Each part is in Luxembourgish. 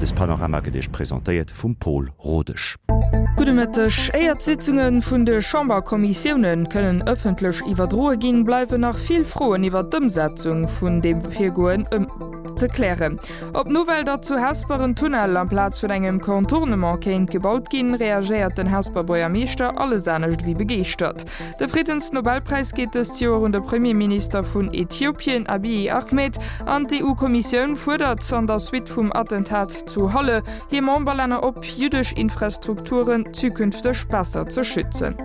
Mëttespanorama gëtt Iech presentéiert vum Pol Rodesch. Gudde Mëtteg. Éier d'Sitzunge vun de Chamberkommissioune kënnen ëffentlech iwwerdroe ginn, bleiwen nach vill Froen iwwer d'Ëmsetzung vun deem Virgoen ze klären. Op d'Nouvelle, datt zu Hesper en Tunnel amplaz vun engem Contournement kéint gebaut ginn, reagéiert den Hesper Buergermeeschter alles anescht ewéi begeeschtert. De Friddensnobelpräis geet dëst Joer un de Premierminister vun Äthiopien, Abiy Ahmed, an d'EU-Kommissioun fuerdert an der Suite vum Attentat zu Halle hir Memberlänner op, jüddesch Infrastrukturen zukünfteg besser ze schützen.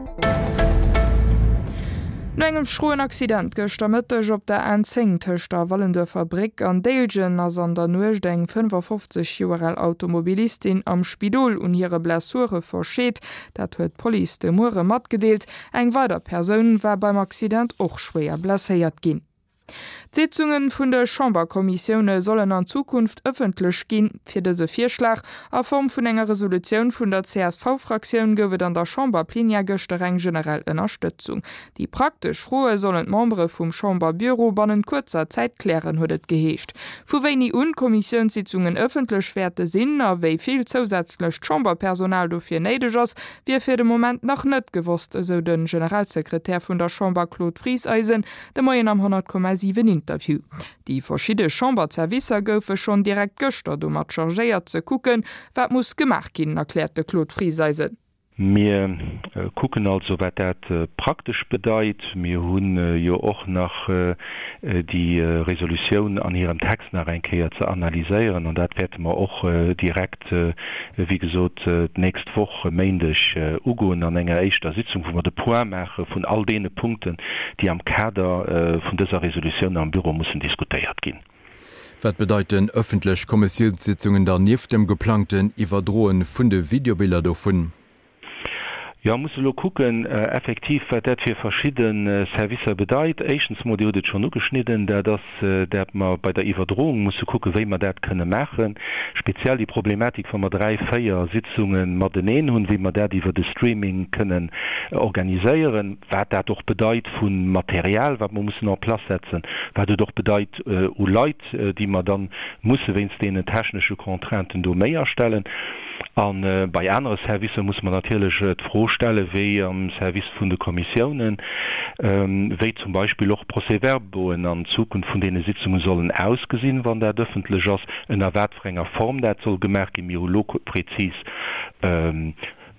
No engem schroen Accident gëschter Mëtteg op der N10 tëscht der Wallenduerfer Bréck an Déiljen ass an der Nuecht eng 55 Joer al Automobilistin am Spidol un hire Blessure verscheet. Dat huet d'Police de Muere matgedeelt. Eng weider Persoun war beim Accident och schwéier blesséiert ginn. D'Sitzunge vun de Chamberkommissioune sollen an Zukunft ëffentlech ginn. Fir dëse Virschlag a Form vun enger Resolutioun vun der CSV-Fraktioun gouf et an der Chamberplenière gëschter eng generell Ënnerstëtzung. Déi praktesch Froe sollen d'Membere vum Chamberbüro bannent kuerzer Zäit klären, huet et geheescht. Vu wéini un d'Kommissiounssitzungen ëffentlech wäerte sinn a wéi vill zousätzlecht Chamberpersonal dofir néideg ass, wier fir de Moment nach net gewosst, esou de Generalsekretär vun der Chamber Claude Frieseisen de Moien am 100,7 Interview. Déi verschidde Chamberzerwisser goufe schonn direkt gëschter domat chargéiert ze kucken, wat muss gemaach ginn, erkläert de Claude Frieseisen. Mir kucken also, wat dat praktesch bedeit. Mir hu jo och nach déi Resolutioun an hirem Text nach eng Kéier ze analyséieren an dat wäerte mer och direkt, wéi gesot, d'nächst Woch e Méindeg ugoen an enger éischter Sitzung, wou mer de Point maache vun all deene Punkten, déi am Kader vun dëser Resolutioun am Büro mussen diskutéiert ginn. Wat bedeiten ëffentlech Kommissiounssitzungen dann nieft dem geplangten Iwwerdroen vun de Videobiller dovun? Jo, muss elo kucken effektiv, wat dat fir verschidde Servicer bedeit. Éischtens emol, Dir hutt et schonn ugeschnidden, dat ass, dat mer bei der Iwwerdroung musse kucken, wéi mer dat kënne maachen. Speziell déi Problematik, wa mer dräi, véier Sitzunge mateneen hunn, wéi mer dat iwwer de Streaming kënnen organiséieren. Wat dat och bedeit vu Material, wat mer mussen en place setzen, wat et och bedeit u Leit, déi mer da musse wéinst deenen technesche Contrainten do méi astellen. A bei anere Servicer musse mer natierlech d'Fro stellen, wéi am Service vun de Kommissiounen, wéi zum Beispill och d'Procès-verbauen an Zukunft vun deene Sitzunge sollen ausgesinn, wann dat ëffentlech ass, ënner wat fir enger Form dat soll gemaach ginn. Mir hu lo prezis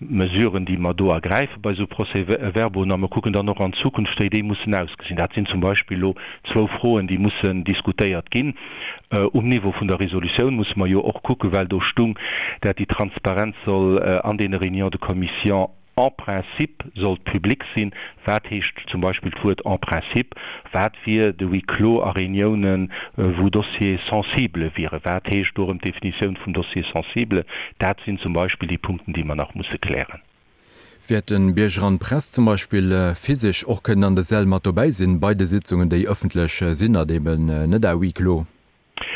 Mesuren, déi mer do ergräife bei esou Procès-verbauen, a mer kucken dann och an Zukunft, wéi déi mussen ausgesinn. Dat sinn zum Beispill elo zwou Froen, déi mussen diskutéiert ginn. Um Niveau vun der Resolutioun musse mer jo och kucken, well do stung, dat déi Transparenz soll an deene Réunions de commission en principe sollt public sinn. Wat heescht zum Beispill d'Wuert en principe? Wat wier de Huis clos a Reuniounen, wou Dossiers sensibles wieren? Wat heescht do erëm d'Definitioun vum Dossier sensible? Dat sinn zum Beispill déi Punkten, déi mer nach musse klären. Wäerten Bierger an d'Press zum Beispill physesch och kënnen an de Säll mat dobäi sinn bei de Sitzungen, déi ëffentlech sinn a eben net à huis clos?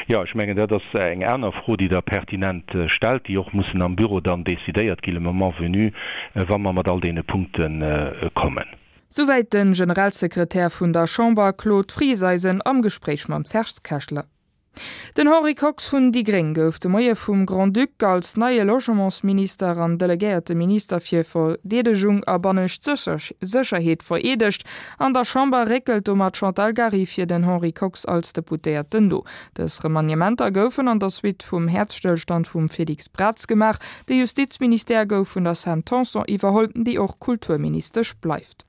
Jo, ech mengen, dat ass eng aner Fro, déi Der pertinent stellt, déi och mussen am Büro dann decidéiert gi le moment venu, wa mer mat all deene Punkte kommen. Souwäit de Generalsekretär vun der Chamber Claude Frieseisen am Gespréich mam Serge Kechler. Den Henri Kox vun déi gréng gouf de Moie vum Grand-Duc als neie Logementsminister an delegéierte Minister fir Verdeedegung a bannescht Sécherheet vereedegt. An der Chamber réckelt domat d'Chantal Gary fir den Henri Kox als Deputéierten no. Dës Remaniementer goufen an der Suite vum Häerzstëllstand vum Félix Braz gemaach. De Justizministère gouf vun der Sam Tanson iwwerholl, déi och Kulturministesch bleift.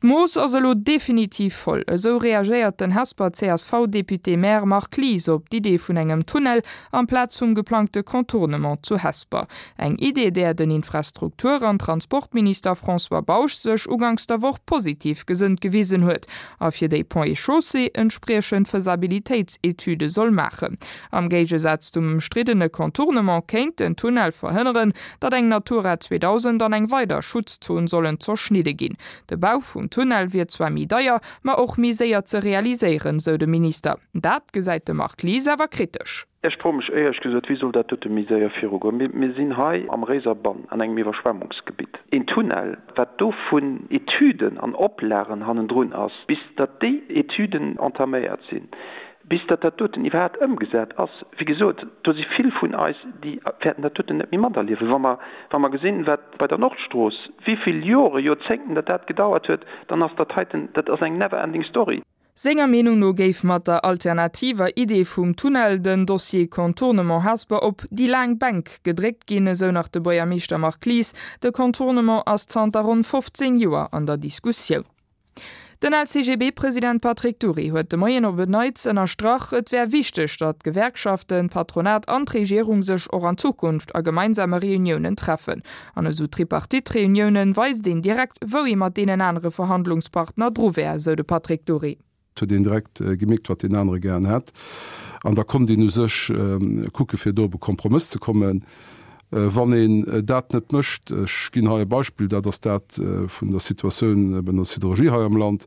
D'Mooss ass elo definitiv voll, esou reagéiert den Hesper CSV-Député-Maire Marc Lies op d'Idee vun engem Tunnel amplaz vum geplangte Contournement zu Hesper. Eng Idee, där den Infrastruktur an Transportminister François Bausch sech uganks der Woch positiv gesënnt gewisen huet a fir déi Ponts et Chaussées entspriechend Faisabilitéitsetüde soll maachen. Am Géigesaz zum ëmstriddene Contournement kéint den Tunnel verhënneren, datt eng Natura 2000 an eng weider Schutzzon sollen zerschnidde ginn. De Bau vum Tunnel wier zwar méi deier, ma och méi séier ze realiséieren, sou de Minister. Dat gesäit de Marc Lies awer kritesch. Ech froe mech éierlech gesot, wéi soll dat dote méi séier virugoen? Mir sinn hei am Réiserbann an engem Iwwerschwemmungsgebitt. Een Tunnel, wat do vun Etüden an Oplagen hannendrun ass, bis datt déi Etüden entaméiert sinn. Bis datt dat doten iwwerhaapt ëmgesat ass, wéi gesot, do si vill vun eis, déi wäerten dat doten net méi materliewen. Wa mer, wa mer gesinn, wat bei der Nordstrooss, wéi vill Jore, Joerzéngten datt dat gedauert huet, dann ass dat heiten, dat ass eng never ending story. Senger Meenung no géif mat der alternativer Idee vum Tunnel den Dossier Contournement Hesper op déi laang Bänk gedréckt ginn, esou nach de Buergermeeschter Marc Lies. De Contournement ass zanter ronn 15 Joer an der Diskussioun. Den LCGB-President Patrick Dury huet de Moien op en Neits ënnerstrach, et wär wichteg, datt d'Gewerkschaften, d'Patronat an d'Regierung sech och an Zukunft a gemeinsame Reuniounen treffen. An esou Tripartite-Reuniounen weist een direkt, wou ee mat deenen anere Verhandlungspartner dru wär, esou de Patrick Dury. Et huet een direkt gemierkt, wat deen anere gären hätt. An da konnt een u sech kucke fir do op e Kompromëss ze kommen. Wann een dat net mécht, ech ginn hei e Beispill, dat ass dat vun der Situatioun bei der Siderurgie hei am Land,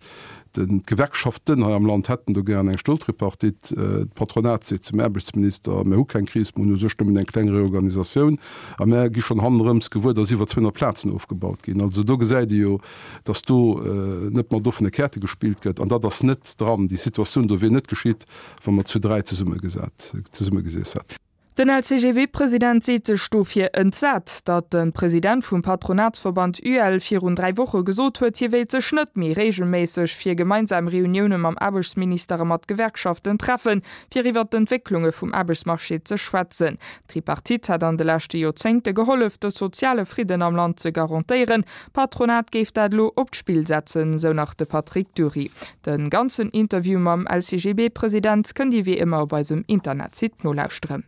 d'Gewerkschaften hei am Land hätten do gären eng Stoltripartite, d'Patronat seet zum Aarbechtsminister, mir hu keng Kris, mir hunn u sech nëmmen eng kleng Reorganisatioun a mär gi schonn hannerëms gewuer, datt iwwer 200 Plazen ofgebaut ginn. Also do gesäit ee jo, datt do net mat offene Käerte gespillt gëtt an dat ass net dran. Déi Situatioun do wier net geschitt, wa mer zu 3 zesummegeseess hätten. Den LCGB-President seet sech dofir entsat, datt de President vum Patronatsverband UEL virun 3 Woche gesot huet, hie wéilt sech net méi reegelméisseg fir gemeinsam Reunioune mam Aarbechtsminister a mat Gewerkschaften treffen, fir iwwer d'Entwécklunge vum Aarbechtsmarché ze schwätzen. D'Tripartite hätt an de leschte Joerzéngte gehollef, de soziale Fridden am Land ze garantéieren. D'Patronat géif dat elo op d'Spill setzen, sou nach de Patrick Dury. De ganzen Interview mam LCGB-President kënnt Dir wéi ëmmer op eisem Internetsite nolauschteren.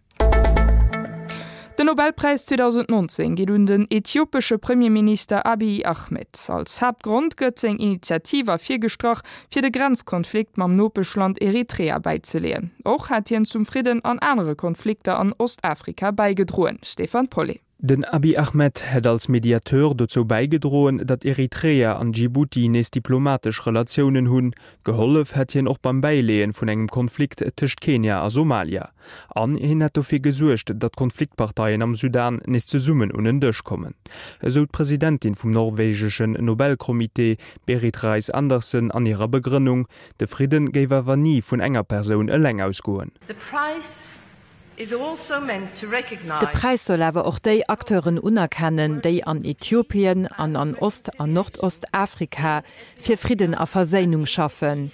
Den Nobelpräis 2019 geet un den ethiopesche Premierminister Abiy Ahmed. Als Haaptgrond gëtt seng Initiativ ervirgestrach, fir de Grenzkonflikt mam Nopeschland Eritrea bäizeleeën. Och hätt hien zum Fridden an anere Konflikter an Ostafrika bäigedroen. Stéphane Paulet. Den Abiy Ahmed hätt als Mediateur dozou bäigedroen, datt Eritrea an Djibouti nees diplomatesch Relatiounen hunn. Gehollef hätt hien och beim Bäileeën vun engem Konflikt tëscht Kenia a Somalia. An hien hätt dofir gesuergt, datt d'Konfliktparteien am Sudan nees zesummen un en Dësch kommen, esou d'Presidentin vum norwegeschen Nobelcomité, Berit Reiss-Andersen, an hirer Begrënnung. De Fridden géif awer ni vun enger Persoun eleng ausgoen. De Präis soll awer och déi Acteuren unerkennen, déi an Äthiopien an an Ost an Nordostafrika fir Fridden a Verséinung schaffen.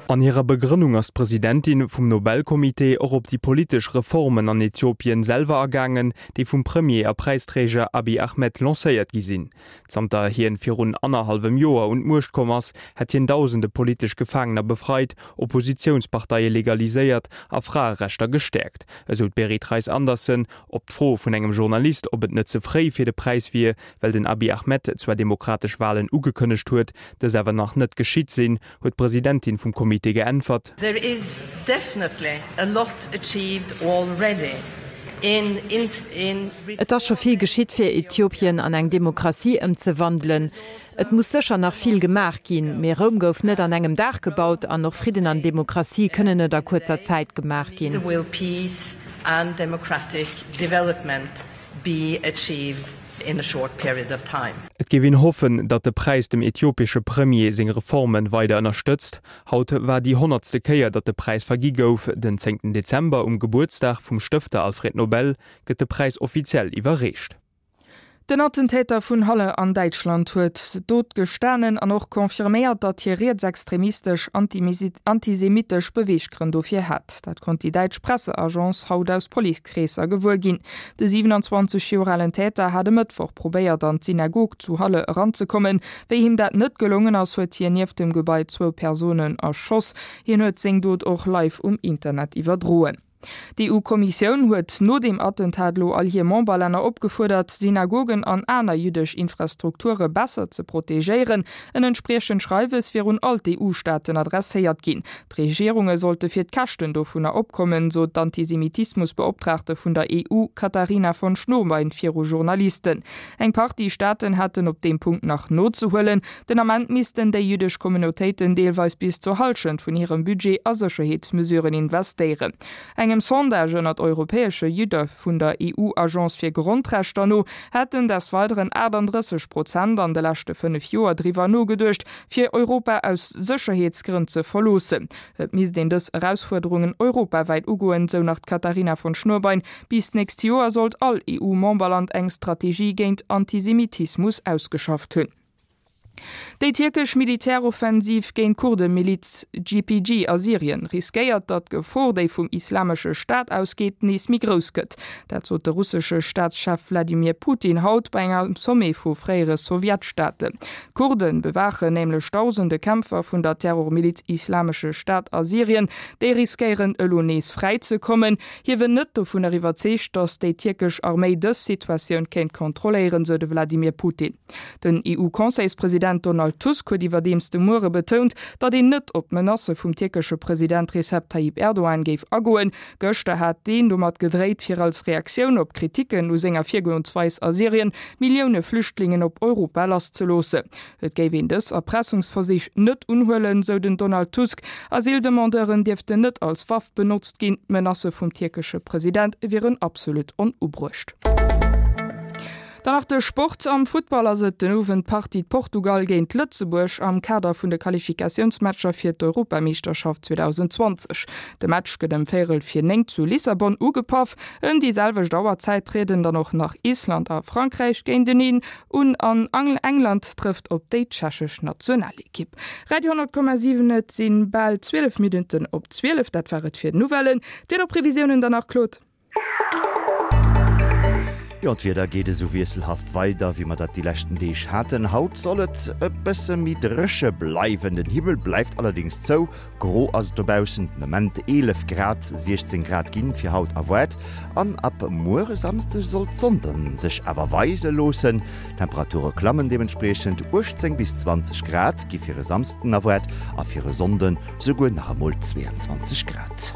An hirer Begrënnung ass d'Presidentin vum Nobelcomité och op déi politesch Reformen an Äthiopien selwer agaangen, déi vum Premier a Präisträger Abiy Ahmed lancéiert gi sinn. Zanter hien virun annerhallwem Joer un d'Muecht komm ass, hätt hien dausende politesch Gefaangener befreit, Oppositiounsparteie legaliséiert a Fraerechter gestäerkt, esou d'Berit Reiss-Andersen. Op d'Fro vun engem Journalist, ob et net ze fréi fir de Präis wier, well den Abiy Ahmed zwar demokratesch Walen ugekënnegt huet, dës awer nach net geschitt sinn, huet d'Presidentin vum Comité geäntwert. There is definitely a lot achieved already in in. Et ass scho vill geschitt, fir Äthiopien an eng Demokratie ëmzewandelen. Et muss sécher nach vill gemaach ginn, mee Roum gouf net an engem Dag gebaut an och Fridden an Demokratie kënnen net a kuerzer Zäit gemaach ginn. Be achieved in a short period of time. Et géif een hoffen, datt de Präis dem äthiopiesche Premier seng Reforme weider ënnerstëtzt. Haut war déi honnertste Kéier, datt de Präis vergi gouf. Den zéngten Dezember, um Gebuertsdag vum Stëfter Alfred Nobel, gëtt de Präis offiziell iwwerreecht. Den Attentäter vun Halle an Däitschland huet d'Dot gestanen an och confirméiert, datt hie rietsextremistesch, antisemitesch Beweeggrënn dofir hat. Dat konnt déi däitsch Presseagence haut aus Policekreesser gewuer ginn. De 27 Joer alen Täter hat e Mëttwoch probéiert an d'Synagog zu Halle eranzekommen. Wéi him dat net gelongen ass, huet hien nieft dem Gebai zwou Persounen erschoss. Hien huet seng Dot och live um Internet iwwerdroen. D'EU-Kommissioun huet no deem Attentat elo all hir Memberlänner opgefuerdert, Synagogen an aner jüddesch Infrastrukture besser ze protegéieren. En entspriechend Schreiwes wier un all d'EU-Staaten adresséiert ginn. D'Regierunge sollte fir d'Käschten dovunner opkommen, sot d'Antisemitismusbeoptraagte vun der EU, Katharina von Schnurbein, viru Journalisten. Eng Partie Staaten hätten op deem Punkt nach nozehuelen. Den Ament missten déi jüddesch Communautéiten deelweis bis zur Hallschent vun hirem Budget a Sécherheetsmesuren investéieren. Engem. Engem Sondage ënnert europäesche Judde vun der EU-Agence fir Grondrechter no hätten des Weideren 38 Prozent an de leschte 5 Joer driwwer nogeduecht, fir Europa aus Sécherheetsgrënn ze verloossen. Et misst een dës Erausfuerderungen europawäit ugoen, sou nach d'Katharina von Schnurbein. Bis d'nächst Joer sollt all EU-Memberland eng Strategie géint Antisemitismus ausgeschafft hunn. Déi tierkesch Militäroffensiv géint d'Kurdemiliz YPG a Syrien riskéiert, datt d'Gefor, déi vum Islamesche Staat ausgeet, nees méi grouss gëtt. Dat sot de russesche Staatschef Wladimir Putin haut bei engem Sommet vu fréiere Sowjetstaaten. D'Kurde bewaachen nämlech dausende Kämpfer vun der Terrormiliz Islamesche Staat a Syrien. Déi riskéieren elo nees fräi ze kommen. Hie wier net dovunner iwwerzeegt, datt déi tierkesch Arméi dës Situatioun kéint kontrolléieren, sou de Wladimir Putin. Den EU-Conseilspresident Donald Tusk huet iwwerdeems de Muere betount, datt een net op d'Menacë vum tierkesche President Recep Tayyip Erdogan géif agoen. Gëschter hat deen domat gedréit, fir als Reaktioun op Kriticken u senger Virgoensweis a Syrien, Millioune Flüchtlingen op Europa lasszeloossen. Et géif een dës Erpressungsversich net unhuelen, sou den Donald Tusk. Asyldemandeuren dierften net als Waff benotzt ginn. D'Menacë vum tierkesche President wieren absolut onubruecht. Dann nach de Sport, Am Futtball ass et den Owend d'Partie Portugal géint Lëtzebuerg am Kader vun de Qualifikatiounsmatcher fir d'Europameeschterschaft 2020. De Match gëtt ëm véierel vir 9 zu Lissabon ugepaff. Ëm déi selwecht Auerzäit trieden dann och nach Island a Frankräich géinteneen un an England trëfft op déi tschechesch Nationalekipp. Radio 10,7 Et si bal 12 Minutten op 12. Dat war et fir d'Nouvellen. D'Wiederprevisiounen dann nach, Claude? Jo, d'Wieder geet esou wiesselhaft weider, wéi mer dat déi leschten Deeg haten. Haut soll et e bësse méi dréche bleiwen, den Himmel bleift allerdéngs zou. Gro ass et dobaussen, den Ament 11 Grad, 16 Grad ginn fir haut erwaart an ab muer e Samsdeg soll d'Sonn dann sech awer weise loossen. D'Temperature klammen deementspriechend, 18 bis 20 Grad gi fir e Samsden erwaart a fir e Sonnden souguer nach emol 22 Grad.